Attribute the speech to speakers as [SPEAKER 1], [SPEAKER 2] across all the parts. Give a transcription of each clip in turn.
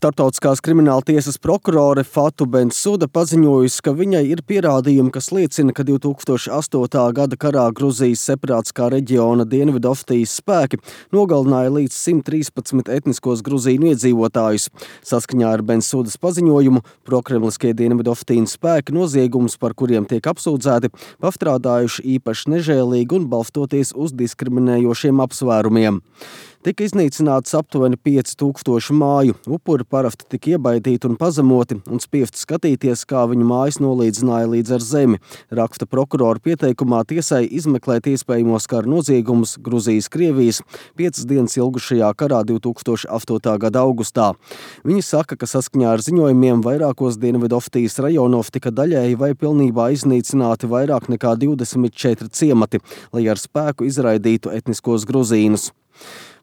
[SPEAKER 1] Starptautiskās krimināltiesas prokurore Fatu Bensuda paziņojusi, ka viņai ir pierādījumi, kas liecina, ka 2008. gada karā Gruzijas separātiskā reģiona Dienvidoftijas spēki nogalināja līdz 113 etniskos gruzīnu iedzīvotājus. Saskaņā ar Bensudas paziņojumu, prokremliskie Dienvidoftijas spēki noziegumus, par kuriem tiek apsūdzēti, pastrādājuši īpaši nežēlīgi un balstoties uz diskriminējošiem apsvērumiem. Tika iznīcināts aptuveni 5000 māju, upuri parasti tika iebaidīti un pazemoti un spiesti skatīties, kā viņu mājas nolīdzināja līdz ar zemi, raksta prokurora pieteikumā tiesai izmeklēt iespējamos kara noziegumus Gruzijas-Krievijas 5 dienas ilgušajā karā 2008. gada augustā. Viņi saka, ka saskaņā ar ziņojumiem vairākos Dienvidoftijas rajonos tika daļēji vai pilnībā iznīcināti vairāk nekā 24 ciemati, lai ar spēku izraidītu etniskos gruzīnus.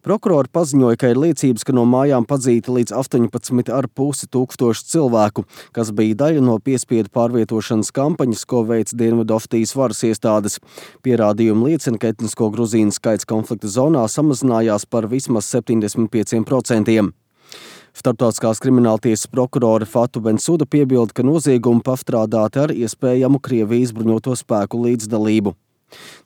[SPEAKER 1] Prokurori paziņoja, ka ir liecības, ka no mājām padzīti līdz 18,5 tūkstoši cilvēku, kas bija daļa no piespiedu pārvietošanas kampaņas, ko veica Dienvidoftijas varas iestādes. Pierādījumi liecina, ka etnisko gruzīnu skaits konflikta zonā samazinājās par vismaz 75%. Starptautiskās krimināltiesas prokurore Fatu Bensuda piebilda, ka noziegumi pastrādāti ar iespējamu Krievijas bruņoto spēku līdzdalību.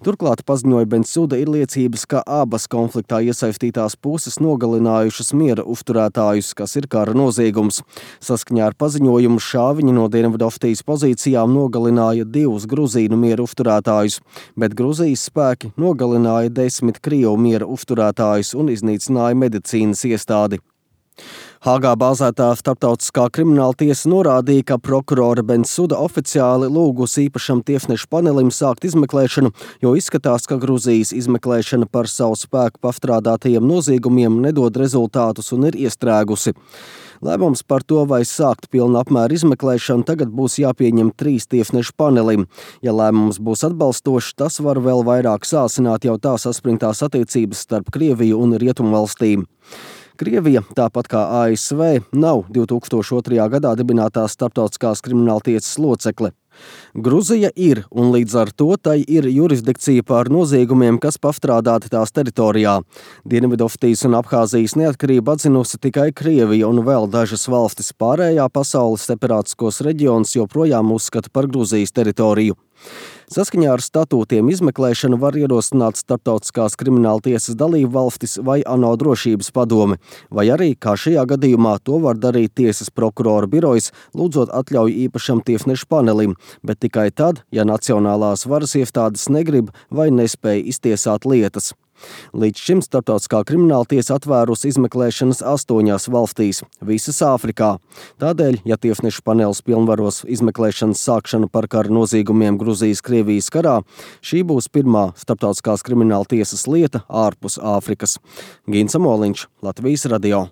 [SPEAKER 1] Turklāt paziņoja Bensuda ir liecības, ka abas konfliktā iesaistītās puses nogalinājušas miera uzturētājus, kas ir kara noziegums. Saskaņā ar paziņojumu šāviņi no Dienvidoftijas pozīcijām nogalināja 2 gruzīnu miera uzturētājus, bet Gruzijas spēki nogalināja 10 krievu miera uzturētājus un iznīcināja medicīnas iestādi. Hāgā bāzētā starptautiskā krimināltiesa norādīja, ka prokurore Bensuda oficiāli lūgusi īpašam tiesnešu panelim sākt izmeklēšanu, jo izskatās, ka Gruzijas izmeklēšana par savu spēku pastrādātajiem noziegumiem nedod rezultātus un ir iestrēgusi. Lēmums par to, vai sākt pilna apmēra izmeklēšanu, tagad būs jāpieņem 3 tiesnešu panelim. Ja lēmums būs atbalstošs, tas var vēl vairāk sāsināt jau tā saspringtās attiecības starp Krieviju un Rietumvalstīm. Krievija, tāpat kā ASV, nav 2002. gadā dibinātās starptautiskās krimināltiesas locekle. Gruzija ir, un līdz ar to tai ir jurisdikcija pār noziegumiem, kas pastrādāti tās teritorijā. Dienvidoftijas un Abhāzijas neatkarību atzinusi tikai Krievija un vēl dažas valstis. Pārējā pasaules separātiskos reģionus joprojām uzskata par Gruzijas teritoriju. Saskaņā ar statūtiem izmeklēšanu var ierosināt starptautiskās krimināltiesas dalību valstis vai ANO drošības padome, vai arī, kā šajā gadījumā, to var darīt tiesas prokurora birojs, lūdzot atļauju īpašam tiesnešu panelim, bet tikai tad, ja nacionālās varas iestādes negrib vai nespēj iztiesāt lietas. Līdz šim starptautiskā krimināltiesa atvērusi izmeklēšanas 8 valstīs, visas Āfrikā. Tādēļ, ja tiesnešu panelis pilnvaros izmeklēšanas sākšanu par kara noziegumiem Gruzijas-Krievijas karā, šī būs pirmā starptautiskās krimināltiesas lieta ārpus Āfrikas. Gins Amoliņš, Latvijas radio.